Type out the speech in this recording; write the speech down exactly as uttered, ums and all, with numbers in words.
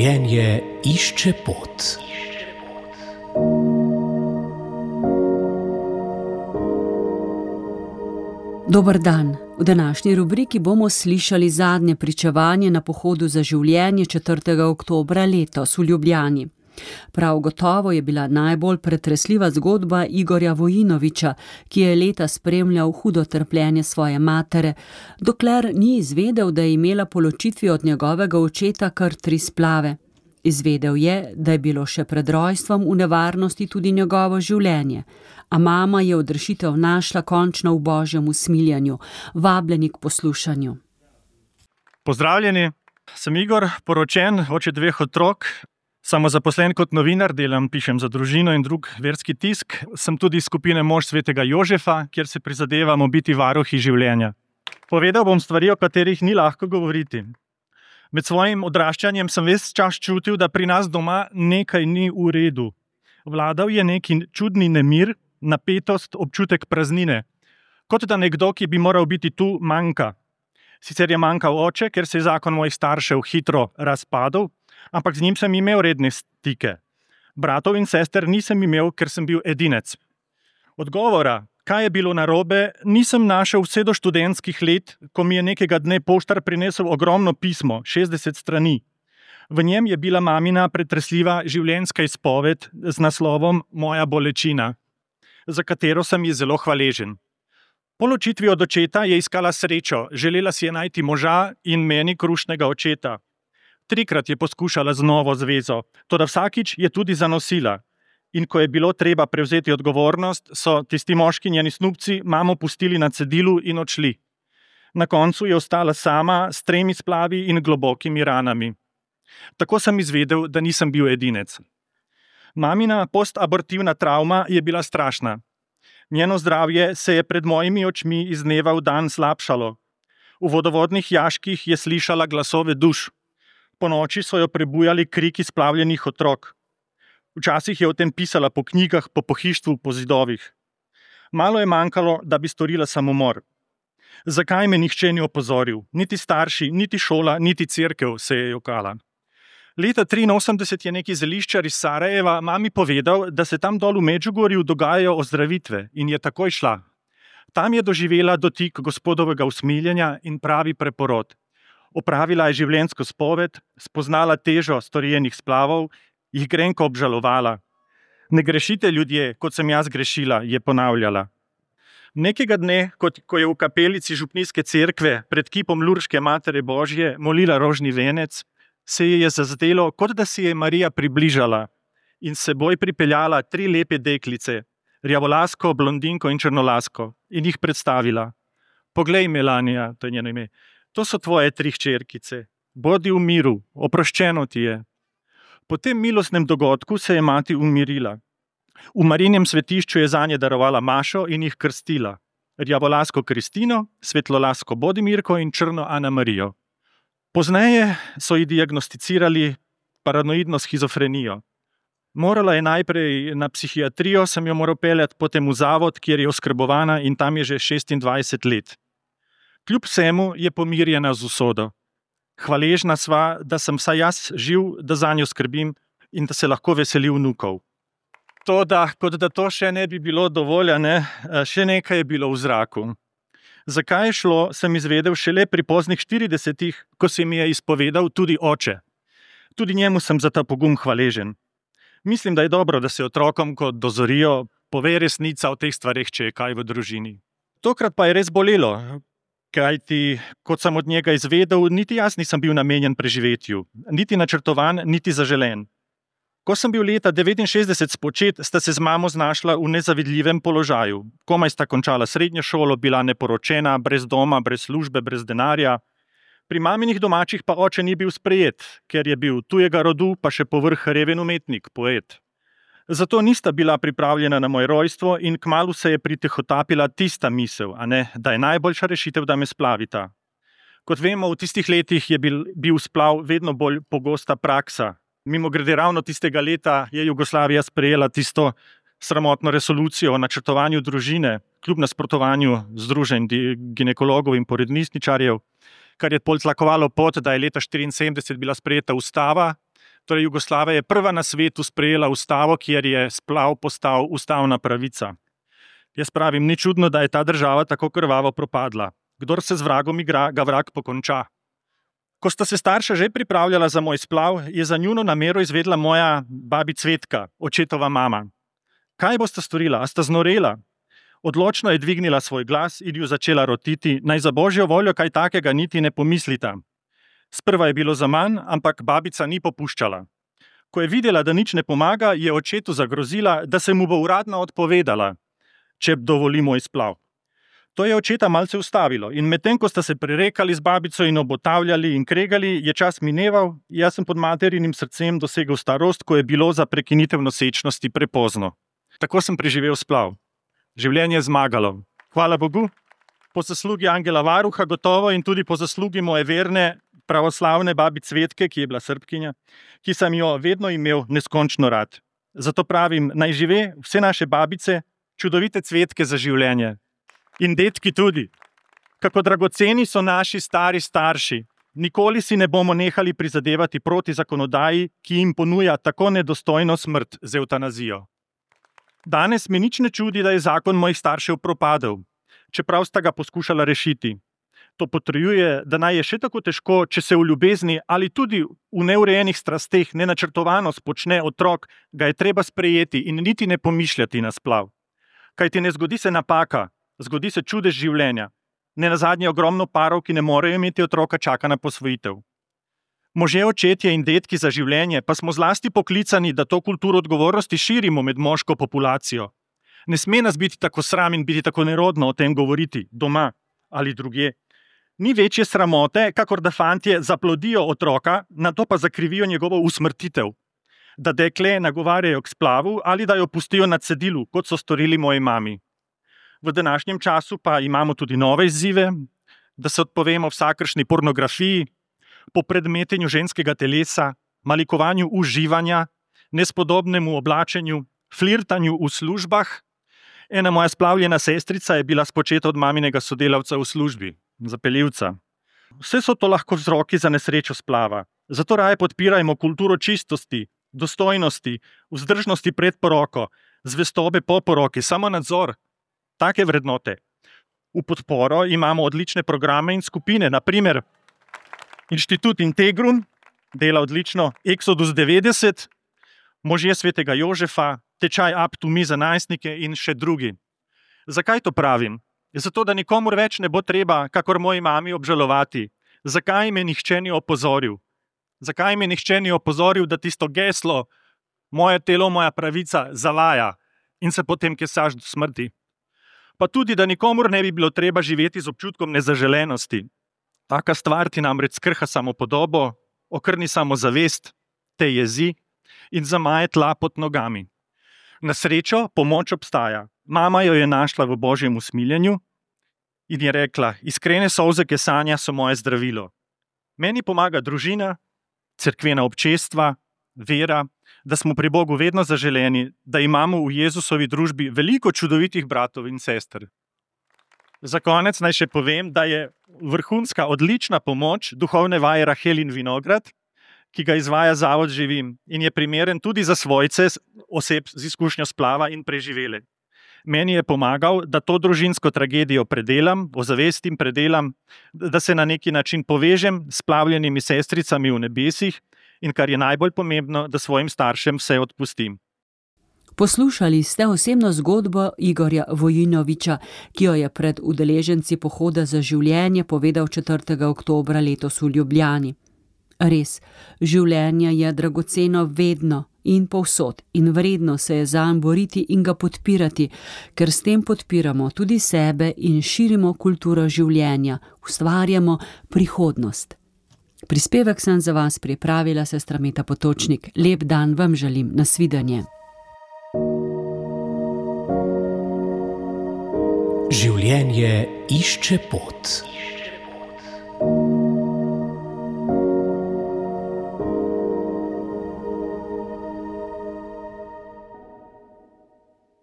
Življenje išče pot. Dober dan. V današnji rubriki bomo slišali zadnje pričevanje na pohodu za življenje četrtega oktobra letos v Ljubljani. Prav gotovo je bila najbolj pretresljiva zgodba Igorja Vojinovića, ki je leta spremljal hudo trpljenje svoje matere, dokler ni izvedel, da je imela po ločitvi od njegovega očeta kar tri splave. Izvedel je, da je bilo še pred rojstvom v nevarnosti tudi njegovo življenje, a mama je odrešitev našla končno v božjem usmiljanju, vabljeni k poslušanju. Pozdravljeni, sem Igor, poročen, oče dveh otrok, samozaposlen kot novinar, delam, pišem za Družino in drug verski tisk, sem tudi iz skupine Mož svetega Jožefa, kjer se prizadevamo biti varuhi življenja. Povedal bom stvari, o katerih ni lahko govoriti. Med svojim odraščanjem sem ves čas čutil, da pri nas doma nekaj ni v redu. Vladal je neki čudni nemir, napetost, občutek praznine. Kot da nekdo, ki bi moral biti tu, manjka. Sicer je manjkal oče, ker se je zakon mojih staršev hitro razpadel, ampak z njim sem imel redne stike. Bratov in sester nisem imel, ker sem bil edinec. Odgovora, kaj je bilo narobe, nisem našel vse do študentskih let, ko mi je nekega dne poštar prinesel ogromno pismo, šestdeset strani. V njem je bila mamina pretresljiva življenjska izpoved z naslovom Moja bolečina, za katero sem ji zelo hvaležen. Po ločitvi od očeta je iskala srečo, želela si je najti moža in meni krušnega očeta. Trikrat je poskušala z novo zvezo, toda vsakič je tudi zanosila. In ko je bilo treba prevzeti odgovornost, so tisti moški njeni snubci mamo pustili na cedilu in odšli. Na koncu je ostala sama s tremi splavi in globokimi ranami. Tako sem izvedel, da nisem bil edinec. Mamina postabortivna travma je bila strašna. Njeno zdravje se je pred mojimi očmi iz dneva v dan slabšalo. V vodovodnih jaških je slišala glasove duš. Po noči so jo prebujali kriki splavljenih otrok. Včasih je o tem pisala po knjigah, po pohištvu, po zidovih. Malo je manjkalo, da bi storila samomor. Zakaj me nihče ni opozoril? Niti starši, niti šola, niti cerkev, se je jokala. Leta triinosemdeset je neki zeliščar iz Sarajeva mami povedal, da se tam dol v Medžugorju dogajajo ozdravitve in je takoj šla. Tam je doživela dotik gospodovega usmiljenja in pravi preporod. Opravila je življenjsko spoved, spoznala težo storjenih splavov, jih grenko obžalovala. Ne grešite ljudje, kot sem jaz grešila, je ponavljala. Nekega dne, kot, ko je v kapelici župnijske cerkve pred kipom Lurške Matere Božje molila rožni venec, se ji je zazdelo, kot da si je Marija približala in s seboj pripeljala tri lepe deklice, rjavolasko, blondinko in črnolasko, in jih predstavila. Poglej, Melanija, to je njeno ime, to so tvoje tri hčerkice. Bodi v miru, oproščeno ti je. Po tem milostnem dogodku se je mati umirila. V Marijinem svetišču je zanje darovala mašo in jih krstila. Rjavolasko Kristino, svetlolasko Bodimirko in črno Ana Marijo. Pozneje so ji diagnosticirali paranoidno shizofrenijo. Morala je najprej na psihiatrijo, sem jo moral peljati, potem v zavod, kjer je oskrbovana in tam je že šestindvajset let. Kljub vsemu je pomirjena z usodo. Hvaležna sva, da sem vsaj jaz živ, da zanjo skrbim in da se lahko veseli vnukov. To, da, kot da to še ne bi bilo dovolj, ne, še nekaj je bilo v zraku. Zakaj je šlo, sem izvedel šele pri poznih štiridesetih, ko se mi je izpovedal tudi oče. Tudi njemu sem za ta pogum hvaležen. Mislim, da je dobro, da se otrokom, ko dozorijo, pove resnica o teh stvareh, če je kaj v družini. Tokrat pa je res bolelo. Kajti, kot sem od njega izvedel, niti jaz nisem bil namenjen preživetju, niti načrtovan, niti zaželen. Ko sem bil leta devetinšestdeset spočet, sta se z mamo znašla v nezavidljivem položaju. Komaj sta končala srednjo šolo, bila neporočena, brez doma, brez službe, brez denarja. Pri maminih domačih pa oče ni bil sprejet, ker je bil tujega rodu, pa še povrh reven umetnik, poet. Zato nista bila pripravljena na moje rojstvo in kmalu se je pritihotapila tista misel, a ne, da je najboljša rešitev, da me splavita. Kot vemo, v tistih letih je bil, bil splav vedno bolj pogosta praksa. Mimogrede, ravno tistega leta je Jugoslavija sprejela tisto sramotno resolucijo o načrtovanju družine, kljub nasprotovanju združenj ginekologov in porodnišničarjev, kar je pol tlakovalo pot, da je leta štiriinsedemdeset bila sprejeta ustava, Torej, Jugoslavija je prva na svetu sprejela ustavo, kjer je splav postal ustavna pravica. Jaz pravim, ni čudno, da je ta država tako krvavo propadla. Kdor se z vragom igra, ga vrag pokonča. Ko sta se starša že pripravljala za moj splav, je za njuno namero izvedla moja babi Cvetka, očetova mama. Kaj bosta storila? A sta znorela? Odločno je dvignila svoj glas in ju začela rotiti, naj za božjo voljo kaj takega niti ne pomislita. Sprva je bilo zaman, ampak babica ni popuščala. Ko je videla, da nič ne pomaga, je očetu zagrozila, da se mu bo uradno odpovedala, če dovoli moj splav. To je očeta malce ustavilo in medtem, ko sta se prerekali z babico in obotavljali in kregali, je čas mineval, jaz sem pod materinim srcem dosegel starost, ko je bilo za prekinitev nosečnosti prepozno. Tako sem preživel splav. Življenje je zmagalo. Hvala Bogu, po zaslugi angela varuha gotovo in tudi po zaslugi moje verne pravoslavne babi Cvetke, ki je bila Srbkinja, ki sem jo vedno imel neskončno rad. Zato pravim, naj žive vse naše babice, čudovite cvetke za življenje. In detki tudi. Kako dragoceni so naši stari starši. Nikoli si ne bomo nehali prizadevati proti zakonodaji, ki jim ponuja tako nedostojno smrt z evtanazijo. Danes me nič ne čudi, da je zakon mojih staršev propadel, čeprav sta ga poskušala rešiti. To potrjuje, da naj je še tako težko, če se v ljubezni ali tudi v neurejenih strasteh nenačrtovano spočne otrok, ga je treba sprejeti in niti ne pomišljati na splav. Kajti ne zgodi se napaka, zgodi se čudež življenja. Nenazadnje ogromno parov, ki ne morejo imeti otroka, čaka na posvojitev. Možje, očetje in detki za življenje pa smo zlasti poklicani, da to kulturo odgovornosti širimo med moško populacijo. Ne sme nas biti tako sram in biti tako nerodno o tem govoriti, doma ali drugje. Ni večje sramote, kakor da fantje zaplodijo otroka, nato pa zakrivijo njegovo usmrtitev. Da dekle nagovarjajo k splavu ali da jo pustijo na cedilu, kot so storili moji mami. V današnjem času pa imamo tudi nove izzive, da se odpovemo vsakršni pornografiji, popredmetenju ženskega telesa, malikovanju uživanja, nespodobnemu oblačenju, flirtanju v službah. Ena moja splavljena sestrica je bila spočeta od maminega sodelavca v službi, zapeljivca. Vse so to lahko vzroki za nesrečo splava. Zato raje podpirajmo kulturo čistosti, dostojnosti, vzdržnosti pred poroko, zvestobe po poroki, samonadzor, take vrednote. V podporo imamo odlične programe in skupine, na primer Inštitut Integrum dela odlično, Exodus devetdeset, Možje svetega Jožefa, Tečaj Up to Me za najstnike in še drugi. Zakaj to pravim? Zato, da nikomur več ne bo treba, kakor moji mami, obžalovati. Zakaj me nihče ni opozoril? Zakaj me nihče ni opozoril, da tisto geslo, moje telo, moja pravica, zalaja in se potem kesaš do smrti? Pa tudi, da nikomur ne bi bilo treba živeti z občutkom nezaželenosti. Taka stvar ti namreč skrha samopodobo, okrni samozavest, te jezi in zamaje tla pod nogami. Na srečo pomoč obstaja. Mama jo je našla v božjem usmiljenju in je rekla, iskrene solze kesanja so moje zdravilo. Meni pomaga družina, cerkvena občestva, vera, da smo pri Bogu vedno zaželeni, da imamo v Jezusovi družbi veliko čudovitih bratov in sester. Za konec naj še povem, da je vrhunska, odlična pomoč duhovne vaje Rahel in Vinograd, ki ga izvaja Zavod Živim in je primeren tudi za svojce oseb z izkušnjo splava in preživele. Meni je pomagal, da to družinsko tragedijo predelam, ozavestim, predelam, da se na neki način povežem s splavljenimi sestricami v nebesih in kar je najbolj pomembno, da svojim staršem vse odpustim. Poslušali ste osebno zgodbo Igorja Vojinoviča, ki jo je pred udeleženci pohoda za življenje povedal četrtega oktobra letos v Ljubljani. Res, življenje je dragoceno vedno in povsod in vredno se je zanj boriti in ga podpirati, ker s tem podpiramo tudi sebe in širimo kulturo življenja, ustvarjamo prihodnost. Prispevek sem za vas pripravila sestra Meta Potočnik. Lep dan vam želim, nasvidenje. Življenje išče pot.